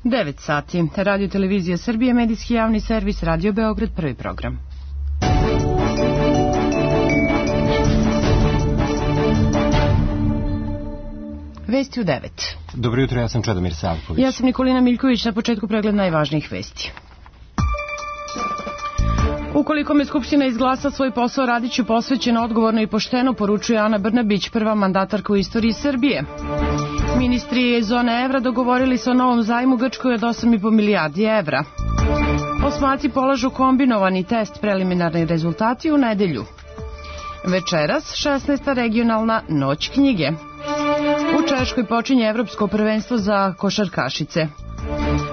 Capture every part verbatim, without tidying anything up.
devet sati. Radio Televizija Srbije, medijski javni servis, Radio Beograd, prvi program. Vesti u devet. Dobro jutro, ja sam Čedomir Savković. Ja sam Nikolina Miljković, na početku pregled najvažnijih vesti. Ukoliko me Skupština izglasa, svoj posao radit ću posvećeno, odgovorno i pošteno, poručuje Ana Brnabić, prva mandatarka u istoriji Srbije. Ministri zone evra dogovorili se o novom zajmu Grčkoj od osam i po milijardi evra. Osmaci polažu kombinovani test, preliminarni rezultati u nedelju. Večeras šesnaesta regionalna noć knjige. U Češkoj počinje evropsko prvenstvo za košarkašice.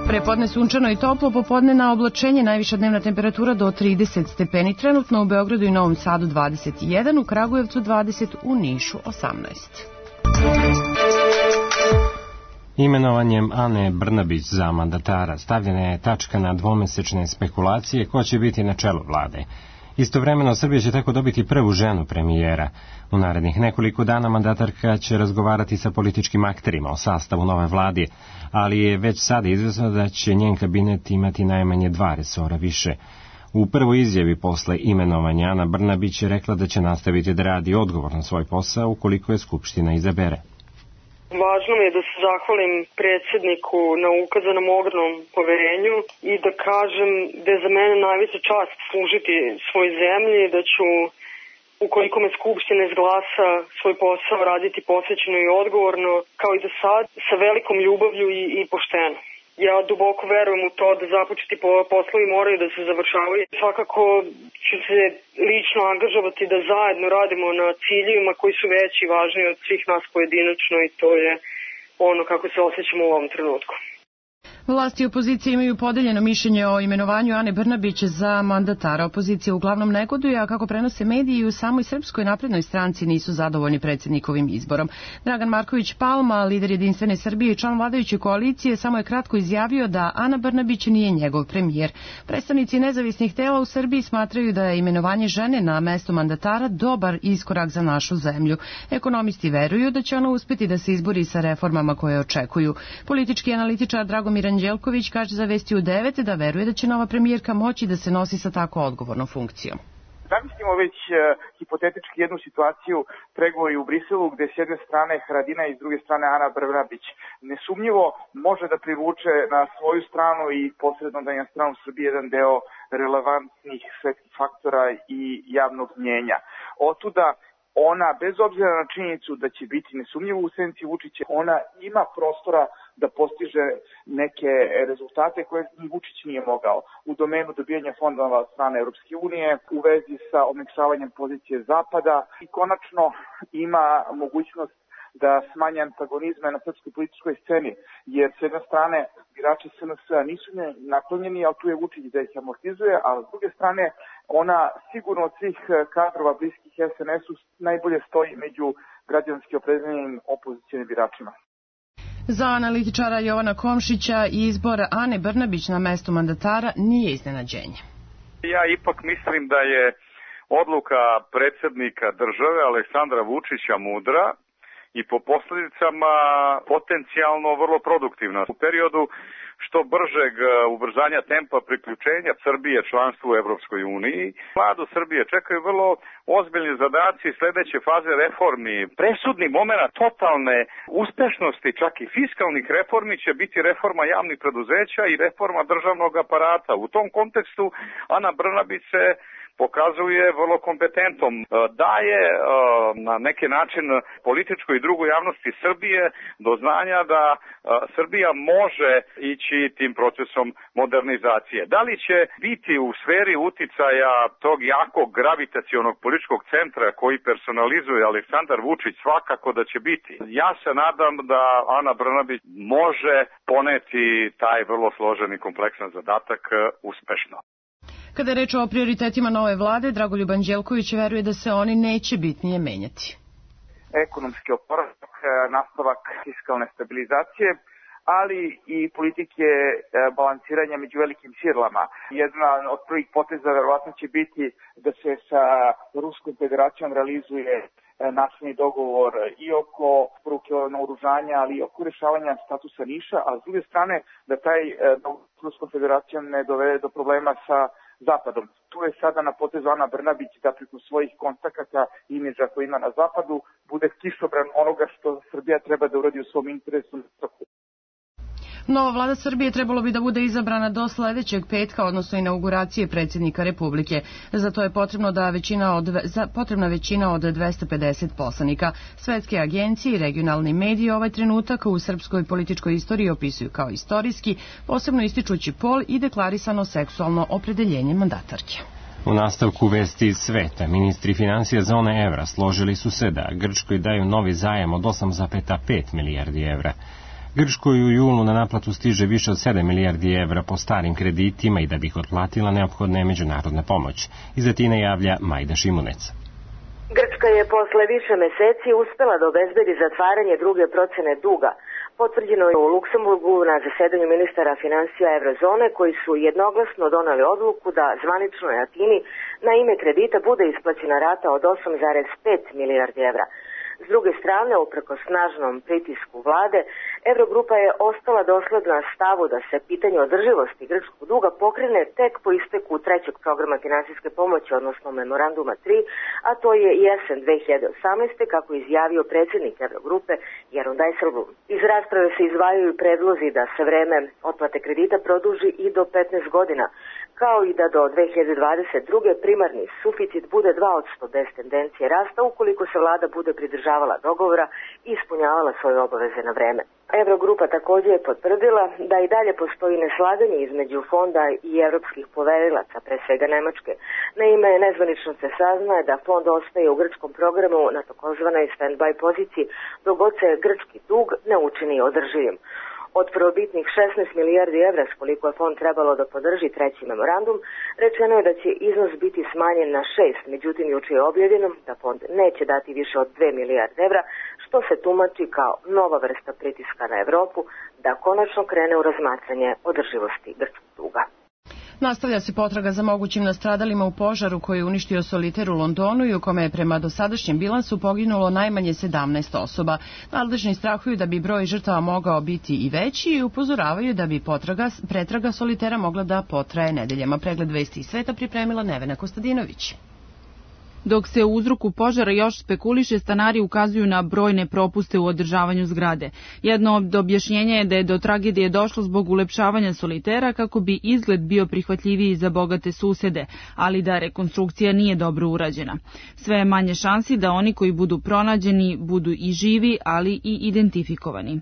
Prepodne sunčano i toplo, popodne na oblačenje, najviša dnevna temperatura do trideset stepeni, trenutno u Beogradu i Novom Sadu dvadeset jedan, u Kragujevcu dvadeset, u Nišu osamnaest. Imenovanjem Ane Brnabić za mandatara stavljena je tačka na dvomesečne spekulacije ko će biti na čelu vlade. Istovremeno, Srbija će tako dobiti prvu ženu premijera. U narednih nekoliko dana mandatarka će razgovarati sa političkim akterima o sastavu nove vlade, ali je već sada izvesno da će njen kabinet imati najmanje dva resora više. U prvoj izjavi posle imenovanja Ana Brnabić je rekla da će nastaviti da radi odgovorno svoj posao ukoliko je Skupština izabere. Važno mi je da se zahvalim predsjedniku na ukazanom ogromnom poverenju i da kažem da je za mene najveća čast služiti svoj zemlji, da ću, ukoliko me Skupština izglasa, svoj posao raditi posvećeno i odgovorno, kao i do sad, sa velikom ljubavlju i, i pošteno. Ja duboko verujem u to da započeti poslovi moraju da se završavaju. Svakako ću se lično angažovati da zajedno radimo na ciljevima koji su veći i važniji od svih nas pojedinačno i to je ono kako se osjećamo u ovom trenutku. Vlasti i opozicija imaju podeljeno mišljenje o imenovanju Ane Brnabić za mandatara. Opozicija uglavnom negoduje, a kako prenose mediji, u samoj Srpskoj naprednoj stranci nisu zadovoljni predsjednikovim izborom. Dragan Marković Palma, lider Jedinstvene Srbije i član vladajuće koalicije, samo je kratko izjavio da Ana Brnabić nije njegov premijer. Predstavnici nezavisnih tela u Srbiji smatraju da je imenovanje žene na mesto mandatara dobar iskorak za našu zemlju. Ekonomisti veruju da će ona uspeti da se izbori sa reformama koje očekuju. Politički analitičar Dragomir Anđelković kaže za Vesti u devet da veruje da će nova premijerka moći da se nosi sa tako odgovornom funkcijom. Zamislimo već uh, hipotetički jednu situaciju, pregovori u Briselu gde s jedne strane Haradinaj i s druge strane Ana Brnabić nesumnjivo može da privuče na svoju stranu i posredno da je na stranu Srbije jedan deo relevantnih svetskih faktora i javnog mnjenja. Otuda ona, bez obzira na činjenicu da će biti nesumnjivo u senci Vučića, ona ima prostora da postiže neke rezultate koje ni Vučić nije mogao u domenu dobijanja fondova od strane Europske unije, u vezi sa omekšavanjem pozicije Zapada i konačno ima mogućnost da smanje antagonizme na srpskoj političkoj sceni, jer s jedne strane birači S N S-a nisu naklonjeni, ali tu je Vučić da ih amortizuje, a s druge strane ona sigurno od svih kadrova bliskih S N S-u najbolje stoji među građanski opredeljenim opozicionim biračima. Za analitičara Jovana Komšića izbor Ane Brnabić na mesto mandatara nije iznenađenje. Ja ipak mislim da je odluka predsjednika države Aleksandra Vučića mudra i po posljedicama potencijalno vrlo produktivna. U periodu što bržeg ubrzanja tempa priključenja Srbije članstvu u Evropskoj uniji, vladu Srbije čekaju vrlo ozbiljni zadaci sljedeće faze reformi. Presudni moment totalne uspešnosti, čak i fiskalnih reformi, će biti reforma javnih preduzeća i reforma državnog aparata. U tom kontekstu Ana Brnabić se pokazuje vrlo kompetentom, daje na neki način političkoj i drugoj javnosti Srbije do znanja da Srbija može ići tim procesom modernizacije. Da li će biti u sferi uticaja tog jakog gravitacionog političkog centra koji personalizuje Aleksandar Vučić? Svakako da će biti. Ja se nadam da Ana Brnabić može poneti taj vrlo složen i kompleksan zadatak uspešno. Kada je reč o prioritetima nove vlade, Dragoljub Anđelković veruje da se oni neće bitnije menjati. Ekonomski oporavak, nastavak fiskalne stabilizacije, ali i politike balansiranja među velikim silama. Jedna od prvih poteza verovatno će biti da se sa Ruskom federacijom realizuje nasilni dogovor i oko poruke naoružanja, ali i oko rešavanja statusa Niša, a s druge strane da taj dogovor s Ruskom federacijom ne dovede do problema sa Zapadom. Tu je sada na potezu Ana Brnabić da preko svojih kontakata i imidža koji ima na Zapadu bude kišobran onoga što Srbija treba da uradi u svom interesu. Nova vlada Srbije trebalo bi da bude izabrana do sledećeg petka, odnosno inauguracije predsjednika Republike. Za to je potrebno da većina od, za, potrebna većina od dvesta pedeset poslanika. Svetske agencije i regionalni mediji ovaj trenutak u srpskoj političkoj istoriji opisuju kao istorijski, posebno ističući pol i deklarisano seksualno opredeljenje mandatarke. U nastavku vesti iz sveta, ministri financija zone evra složili su se da Grčkoj daju novi zajam od osam zarez pet milijardi evra. Grčkoj u julu na naplatu stiže više od sedam milijardi evra po starim kreditima i da bi ih otplatila neophodna je međunarodna pomoć. Iz Atine javlja Majda Šimunec. Grčka je posle više meseci uspela da obezbedi zatvaranje druge procene duga. Potvrđeno je u Luksemburgu na zasedanju ministara financija Evrozone koji su jednoglasno doneli odluku da zvaničnoj Atini na ime kredita bude isplaćena rata od osam zarez pet milijardi evra. S druge strane, upreko snažnom pritisku vlade, Evrogrupa je ostala dosledna stavu da se pitanje održivosti grčkog duga pokrene tek po isteku trećeg programa finansijske pomoći, odnosno memoranduma tri, a to je jesen dve hiljade osamnaeste. kako je izjavio predsjednik Evrogrupe Jeroen Dijsselbloem. Iz rasprave se izdvajaju predlozi da se vreme otplate kredita produži i do petnaest godina, kao i da do dve hiljade dvadeset druge. primarni suficit bude dva posto bez tendencije rasta ukoliko se vlada bude pridržavala dogovora i ispunjavala svoje obaveze na vreme. Evrogrupa također je potvrdila da i dalje postoji neslaganje između fonda i evropskih poverilaca, pre svega Nemačke. Naime, nezvanično se saznaje da fond ostaje u grčkom programu na takozvanoj stand-by poziciji dok god se grčki dug ne učini održivim. Od prvobitnih šesnaest milijardi evra s koliko je fond trebalo da podrži treći memorandum, rečeno je da će iznos biti smanjen na šest, međutim juče je objavljeno da fond neće dati više od dve milijarde evra, što se tumači kao nova vrsta pritiska na Evropu da konačno krene u razmatranje održivosti grčkog duga. Nastavlja se potraga za mogućim nastradalima u požaru koji je uništio Soliter u Londonu i u kome je prema dosadašnjem bilansu poginulo najmanje sedamnaest osoba. Nadležni strahuju da bi broj žrtava mogao biti i veći i upozoravaju da bi potraga, pretraga Solitera mogla da potraje nedeljama. Pregled vesti iz sveta pripremila Nevena Kostadinović. Dok se u uzroku požara još spekuliše, stanari ukazuju na brojne propuste u održavanju zgrade. Jedno od objašnjenja je da je do tragedije došlo zbog ulepšavanja Solitera kako bi izgled bio prihvatljiviji za bogate susede, ali da rekonstrukcija nije dobro urađena. Sve je manje šansi da oni koji budu pronađeni budu i živi, ali i identifikovani.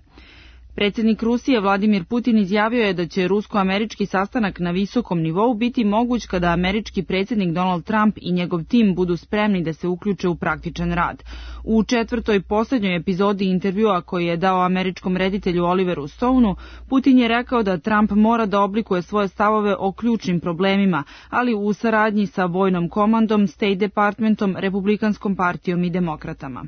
Predsjednik Rusije Vladimir Putin izjavio je da će rusko-američki sastanak na visokom nivou biti moguć kada američki predsjednik Donald Trump i njegov tim budu spremni da se uključe u praktičan rad. U četvrtoj posljednjoj epizodi intervjua koji je dao američkom reditelju Oliveru Stoneu, Putin je rekao da Trump mora da oblikuje svoje stavove o ključnim problemima, ali u saradnji sa vojnom komandom, State Departmentom, Republikanskom partijom i demokratama.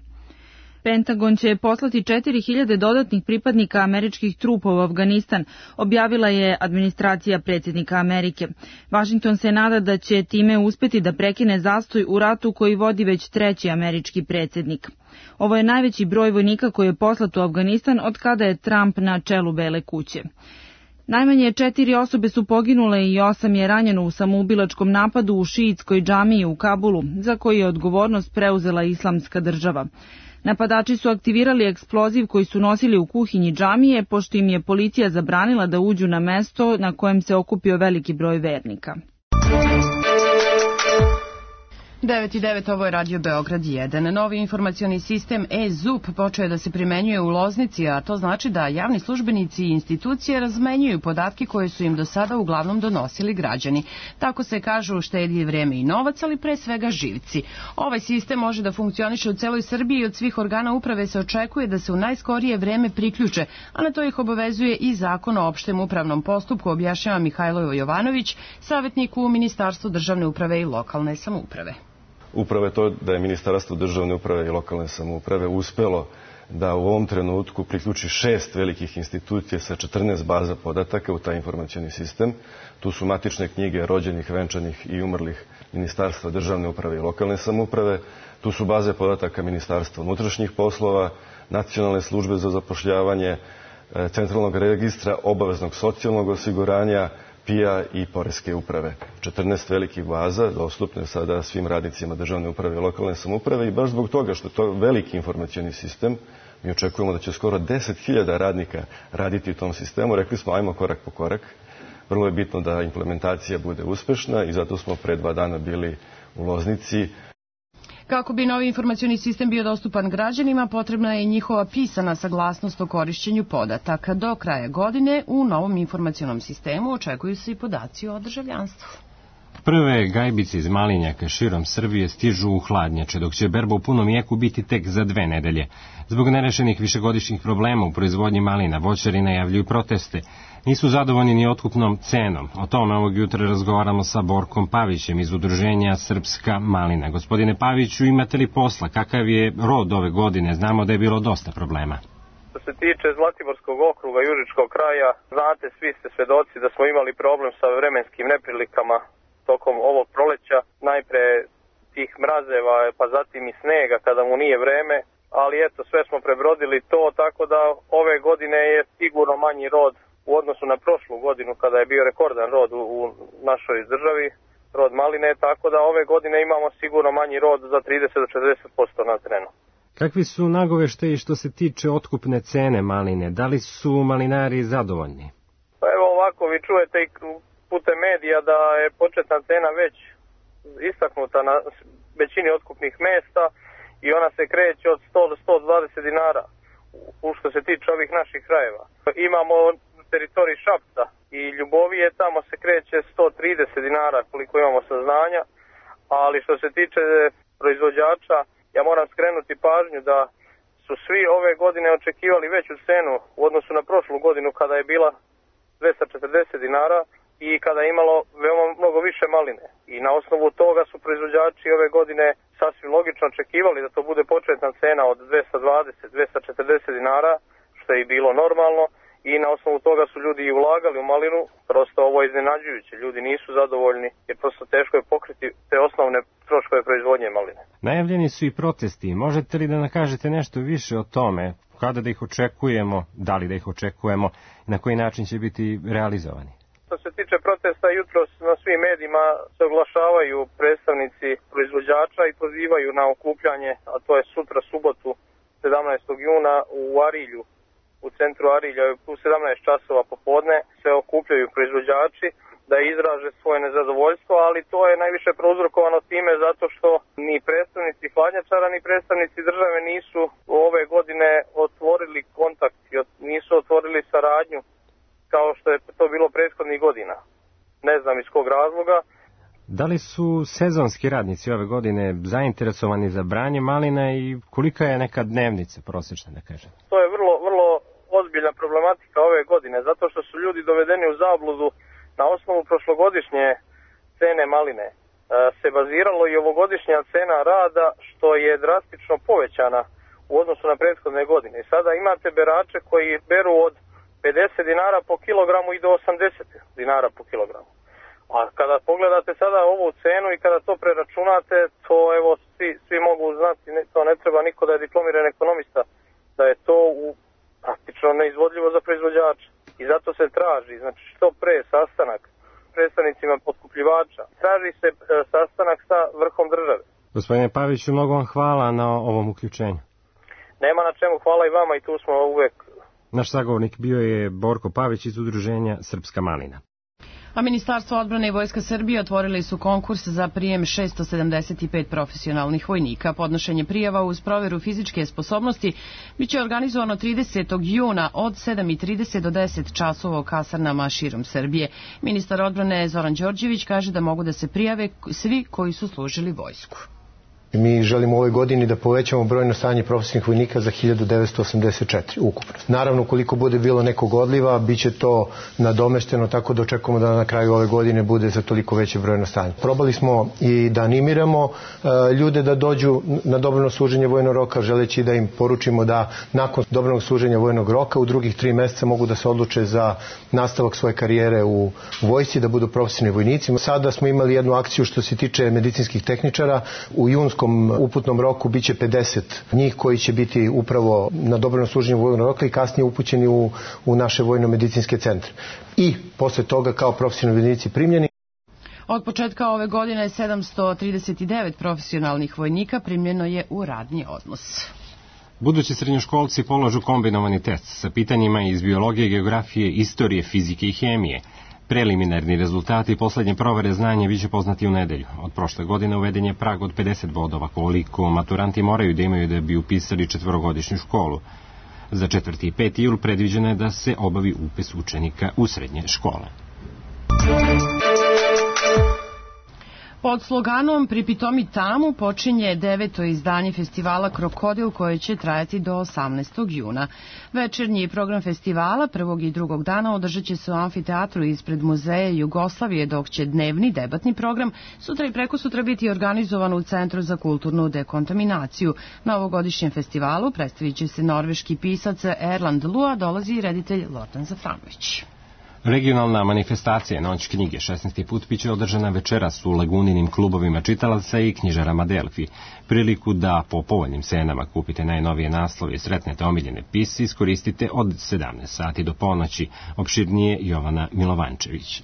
Pentagon će poslati četiri hiljade dodatnih pripadnika američkih trupa u Afganistan, objavila je administracija predsjednika Amerike. Washington se nada da će time uspeti da prekine zastoj u ratu koji vodi već treći američki predsjednik. Ovo je najveći broj vojnika koji je poslat u Afganistan od kada je Trump na čelu Bele kuće. Najmanje četiri osobe su poginule i osam je ranjeno u samoubilačkom napadu u šiitskoj džamiji u Kabulu, za koji je odgovornost preuzela Islamska država. Napadači su aktivirali eksploziv koji su nosili u kuhinji džamije, pošto im je policija zabranila da uđu na mesto na kojem se okupio veliki broj vernika. devet i devet, ovo je Radio Beograd jedan. Novi informacioni sistem e-Z U P počeo je da se primenjuje u Loznici, a to znači da javni službenici i institucije razmenjuju podatke koje su im do sada uglavnom donosili građani. Tako se kažu štedi vreme i novac, ali pre svega živci. Ovaj sistem može da funkcioniše u celoj Srbiji i od svih organa uprave se očekuje da se u najskorije vreme priključe, a na to ih obavezuje i Zakon o opštem upravnom postupku, objašnjava Mihajlo Jovanović, savjetnik u Ministarstvu državne uprave i lokalne samouprave. Upravo je to da je Ministarstvo državne uprave i lokalne samouprave uspelo da u ovom trenutku priključi šest velikih institucija sa četrnaest baza podataka u taj informacioni sistem. Tu su matične knjige rođenih, venčanih i umrlih Ministarstva državne uprave i lokalne samouprave. Tu su baze podataka Ministarstva unutrašnjih poslova, Nacionalne službe za zapošljavanje, Centralnog registra obaveznog socijalnog osiguranja, P I A i Poreske uprave. četrnaest velikih baza dostupne sada svim radnicima državne uprave i lokalne samouprave i baš zbog toga što je to veliki informacioni sistem, mi očekujemo da će skoro deset hiljada radnika raditi u tom sistemu. Rekli smo ajmo korak po korak. Vrlo je bitno da implementacija bude uspešna i zato smo pre dva dana bili u Loznici. Kako bi novi informacioni sistem bio dostupan građanima, potrebna je njihova pisana saglasnost o korišćenju podataka. Do kraja godine u novom informacionom sistemu očekuju se i podaci o državljanstvu. Prve gajbice iz malinjaka širom Srbije stižu u hladnjače, dok će berba u punom jeku biti tek za dve nedelje. Zbog nerešenih višegodišnjih problema u proizvodnji malina, voćari najavljuju proteste. Nisu zadovoljni ni otkupnom cenom. O tome ovog jutra razgovaramo sa Borkom Pavićem iz udruženja Srpska malina. Gospodine Paviću, imate li posla? Kakav je rod ove godine? Znamo da je bilo dosta problema. Što se tiče Zlatiborskog okruga, Južičkog kraja, znate, svi ste svedoci da smo imali problem sa vremenskim neprilikama tokom ovog proleća. Najpre tih mrazeva, pa zatim i snega kada mu nije vreme, ali eto, sve smo prebrodili to, tako da ove godine je sigurno manji rod u odnosu na prošlu godinu kada je bio rekordan rod u, u našoj državi, rod maline, tako da ove godine imamo sigurno manji rod za trideset do četrdeset posto na terenu. Kakvi su nagoveštaji što se tiče otkupne cene maline? Da li su malinari zadovoljni? Pa evo ovako, vi čujete i putem medija da je početna cena već istaknuta na većini otkupnih mesta i ona se kreće od sto do sto dvadeset dinara u što se tiče ovih naših krajeva. Imamo teritoriji Šapca i Ljubovije, tamo se kreće sto trideset dinara koliko imamo saznanja, ali što se tiče proizvođača, ja moram skrenuti pažnju da su svi ove godine očekivali veću cenu u odnosu na prošlu godinu kada je bila dvesta četrdeset dinara i kada je imalo veoma mnogo više maline. I na osnovu toga su proizvođači ove godine sasvim logično očekivali da to bude početna cena od dvesta dvadeset do dvesta četrdeset dinara, što je i bilo normalno. I na osnovu toga su ljudi i ulagali u malinu, prosto ovo je iznenađujuće, ljudi nisu zadovoljni jer prosto teško je pokriti te osnovne troškove proizvodnje maline. Najavljeni su i protesti, možete li da nam kažete nešto više o tome, kada da ih očekujemo, da li da ih očekujemo i na koji način će biti realizovani? Što se tiče protesta, jutros na svim medijima se oglašavaju predstavnici proizvođača i pozivaju na okupljanje, a to je sutra subotu sedamnaestog juna u Arilju. U centru Arilja u sedamnaest časova popodne se okupljaju proizvođači da izraže svoje nezadovoljstvo, ali to je najviše prouzrokovano time zato što ni predstavnici hladnjačara ni predstavnici države nisu ove godine otvorili kontakt, nisu otvorili saradnju kao što je to bilo prethodnih godina. Ne znam iz kog razloga. Da li su sezonski radnici ove godine zainteresovani za branje malina i kolika je neka dnevnica prosječna, da kažem? To je vrlo, vrlo ozbiljna problematika ove godine, zato što su ljudi dovedeni u zabludu na osnovu prošlogodišnje cene maline. E, se baziralo i ovogodišnja cena rada, što je drastično povećana u odnosu na prethodne godine. I sada imate berače koji beru od pedeset dinara po kilogramu i do osamdeset dinara po kilogramu. A kada pogledate sada ovu cenu i kada to preračunate, to evo svi, svi mogu znati, ne, to ne treba niko da je diplomiran ekonomista, da je to u praktično neizvodljivo za proizvođača. I zato se traži, znači što pre sastanak predstavnicima otkupljivača, traži se e, sastanak sa vrhom države. Gospodine Paviću, mnogo vam hvala na ovom uključenju. Nema na čemu, hvala i vama i tu smo uvek. Naš sagovornik bio je Borko Pavić iz udruženja Srpska malina. A Ministarstvo odbrane i Vojska Srbije otvorili su konkurs za prijem šesto sedamdeset pet profesionalnih vojnika. Podnošenje prijava uz proveru fizičke sposobnosti biće organizovano tridesetog juna od sedam i trideset do deset časova u kasarnama širom Srbije. Ministar odbrane Zoran Đorđević kaže da mogu da se prijave svi koji su služili vojsku. Mi želimo u ovoj godini da povećamo brojno stanje profesionalnih vojnika za hiljadu devetsto osamdeset četiri ukupno. Naravno, ukoliko bude bilo nekog odliva, bit će to nadomešteno, tako da očekujemo da na kraju ove godine bude za toliko veće brojno stanje. Probali smo i da animiramo e, ljude da dođu na dobrovoljno služenje vojnog roka, želeći da im poručimo da nakon dobrovoljnog služenja vojnog roka u drugih tri meseca mogu da se odluče za nastavak svoje karijere u vojsci, da budu profesionalni vojnici. Sada smo imali jednu akciju što se tiče medicinskih tehničara. U junskom uputnom roku biće pedeset njih koji će biti upravo na dobrovoljnom služenju vojnog roka i kasnije upućeni u, u naše vojno-medicinske centre. I posle toga kao profesionalni vojnici primljeni. Od početka ove godine sedamsto trideset devet profesionalnih vojnika primljeno je u radni odnos. Budući srednjoškolci polažu kombinovani test sa pitanjima iz biologije, geografije, istorije, fizike i hemije. Preliminarni rezultati poslednje provere znanja biće poznati u nedelju. Od prošle godine uveden je prag od pedeset bodova, koliko maturanti moraju da imaju da bi upisali četvorogodišnju školu. Za četvrti i peti jul predviđeno je da se obavi upis učenika u srednje škole. Pod sloganom Pripitomi tamu počinje deveto izdanje festivala Krokodil koje će trajati do osamnaestog juna. Večernji program festivala prvog i drugog dana održat će se u amfiteatru ispred Muzeja Jugoslavije, dok će dnevni debatni program sutra i prekosutra biti organizovan u Centru za kulturnu dekontaminaciju. Na ovogodišnjem festivalu predstavit će se norveški pisac Erland Lua, dolazi i reditelj Lordan Zafranović. Regionalna manifestacija Noć knjige šesnaesti put biće održana večeras u Laguninim klubovima čitalaca i knjižarama Delfi. Priliku da po povoljnim cenama kupite najnovije naslove i sretnete omiljene pisce iskoristite od sedamnaest sati do ponoći. Opširnije Jovana Milovančević.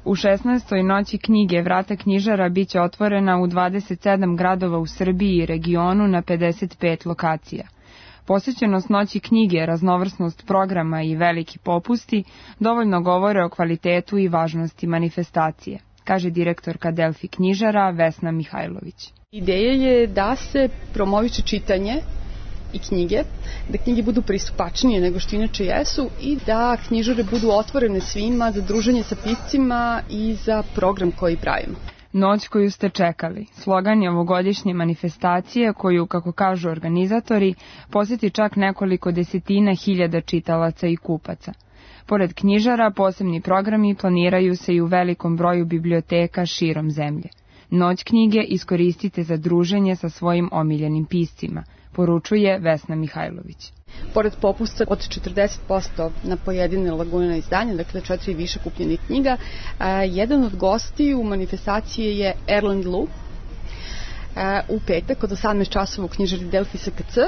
U šesnaestoj Noći knjige vrata knjižara biće otvorena u dvadeset sedam gradova u Srbiji i regionu na pedeset pet lokacija. Posvećenost Noći knjige, raznovrsnost programa i veliki popusti dovoljno govore o kvalitetu i važnosti manifestacije, kaže direktorka Delfi knjižara Vesna Mihajlović. Ideja je da se promoviše čitanje i knjige, da knjige budu pristupačnije nego što inače jesu i da knjižare budu otvorene svima za druženje sa piscima i za program koji pravimo. Noć koju ste čekali. Slogan je ovogodišnje manifestacije koju, kako kažu organizatori, posjeti čak nekoliko desetina hiljada čitalaca i kupaca. Pored knjižara, posebni programi planiraju se i u velikom broju biblioteka širom zemlje. Noć knjige iskoristite za druženje sa svojim omiljenim piscima, poručuje Vesna Mihajlović. Pored popusta od četrdeset posto na pojedine Lagunina izdanja, dakle četiri više kupljenih knjiga, a, jedan od gosti u manifestaciji je Erland Lu a, u petak od osamnaest časova u knjižari Delfi S K C,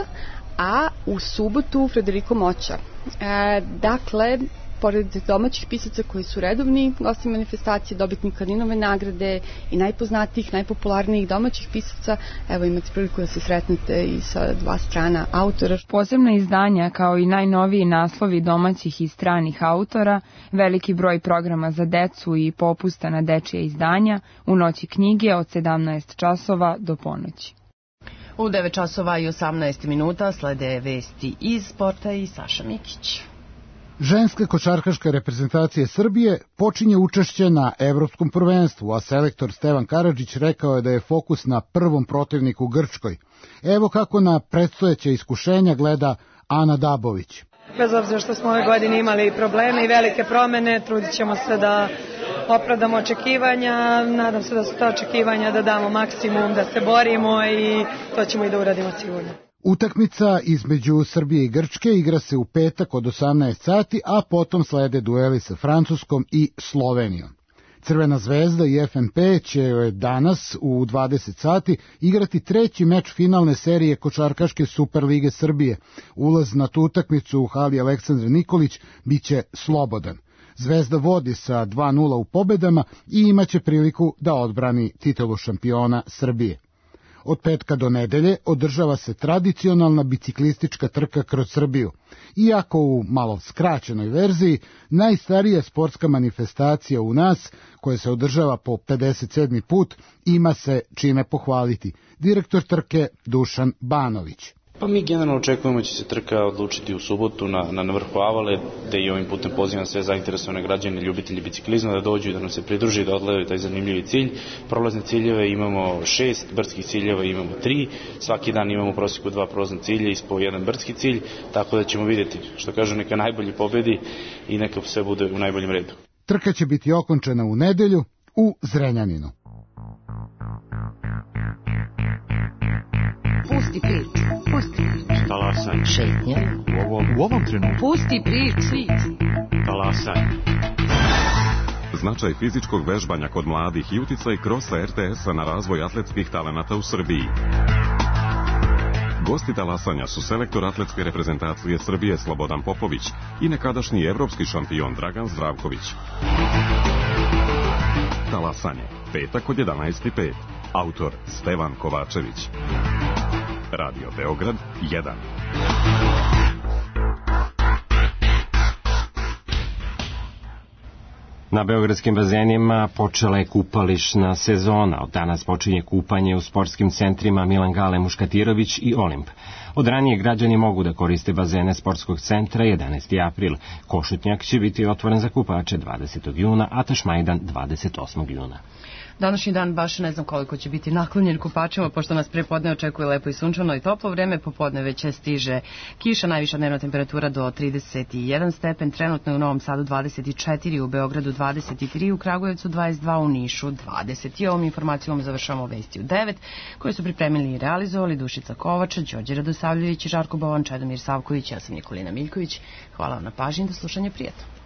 a u subotu Frederico Moća. A, dakle, pored domaćih pisaca koji su redovni gosti manifestacije, dobitnika Kaninove nagrade i najpoznatijih, najpopularnijih domaćih pisaca, evo imate priliku da se sretnete i sa dva strana autora. Posebna izdanja kao i najnoviji naslovi domaćih i stranih autora, veliki broj programa za decu i popusta na dečije izdanja u Noći knjige od sedamnaest časova do ponoći. U devet časova i osamnaest minuta slede vesti iz sporta i Saša Mikić. Ženska košarkaška reprezentacija Srbije počinje učešće na Evropskom prvenstvu, a selektor Stevan Karadžić rekao je da je fokus na prvom protivniku Grčkoj. Evo kako na predstojeće iskušenja gleda Ana Dabović. Bez obzira što smo ove godine imali probleme i velike promene, trudit ćemo se da opravdamo očekivanja, nadam se da su ta očekivanja da damo maksimum, da se borimo i to ćemo i da uradimo sigurno. Utakmica između Srbije i Grčke igra se u petak od osamnaest sati, a potom slede dueli sa Francuskom i Slovenijom. Crvena zvezda i F N P će danas u dvadeset sati igrati treći meč finalne serije košarkaške Superlige Srbije. Ulaz na tu utakmicu u hali Aleksandra Nikolić biće slobodan. Zvezda vodi sa dva nula u pobedama i imaće priliku da odbrani titulu šampiona Srbije. Od petka do nedelje održava se tradicionalna biciklistička trka kroz Srbiju. Iako u malo skraćenoj verziji, najstarija sportska manifestacija u nas, koja se održava po pedeset sedmi put, ima se čime pohvaliti. Direktor trke Dušan Banović. Pa mi generalno očekujemo da će se trka odlučiti u subotu na, na, na vrhu Avale, gde i ovim putem pozivam sve zainteresovane građane, ljubitelji biciklizma da dođu i da nam se pridruži, da odgledaju taj zanimljivi cilj. Prolazne ciljeve imamo šest, brdskih ciljeva imamo tri, svaki dan imamo u prosjeku dva prolazna cilja i po jedan brdski cilj, tako da ćemo vidjeti, što kažu, neka najbolji pobedi i neka sve bude u najboljem redu. Trka će biti okončana u nedelju u Zrenjaninu. Pusti priču, pusti priču. Talasaj. Šetnja. U ovom, u ovom trenutku. Pusti priču. Talasaj. Značaj fizičkog vežbanja kod mladih i uticaj krosa er te es-a na razvoj atletskih talenata u Srbiji. Gosti talasanja su selektor atletske reprezentacije Srbije Slobodan Popović i nekadašnji evropski šampion Dragan Zdravković. Talasanje, petak od jedanaest i pet. Autor Stevan Kovačević. Radio Beograd jedan. Na beogradskim bazenima počela je kupališna sezona. Od danas počinje kupanje u sportskim centrima Milan Gale Muškatirović i Olimp. Od ranije građani mogu da koriste bazene sportskog centra jedanaesti april. Košutnjak će biti otvoren za kupače dvadesetog juna, a Tašmajdan dvadeset osmog juna. Današnji dan baš ne znam koliko će biti naklonjen kupačima, pošto nas prepodne očekuje lepo i sunčano i toplo vreme, popodne već stiže kiša, najviša dnevna temperatura do trideset jedan stepen, trenutno je u Novom Sadu dvadeset četiri, u Beogradu dvadeset tri, u Kragujevcu dvadeset dva, u Nišu dvadeset. I ovom informacijom završavamo vesti u devet, koje su pripremili i realizovali Dušica Kovača, Đorđe Radosavljević, Žarko Bovan, Čedomir Savković, ja sam Nikolina Miljković. Hvala vam na pažnji, do slušanja, prijatno.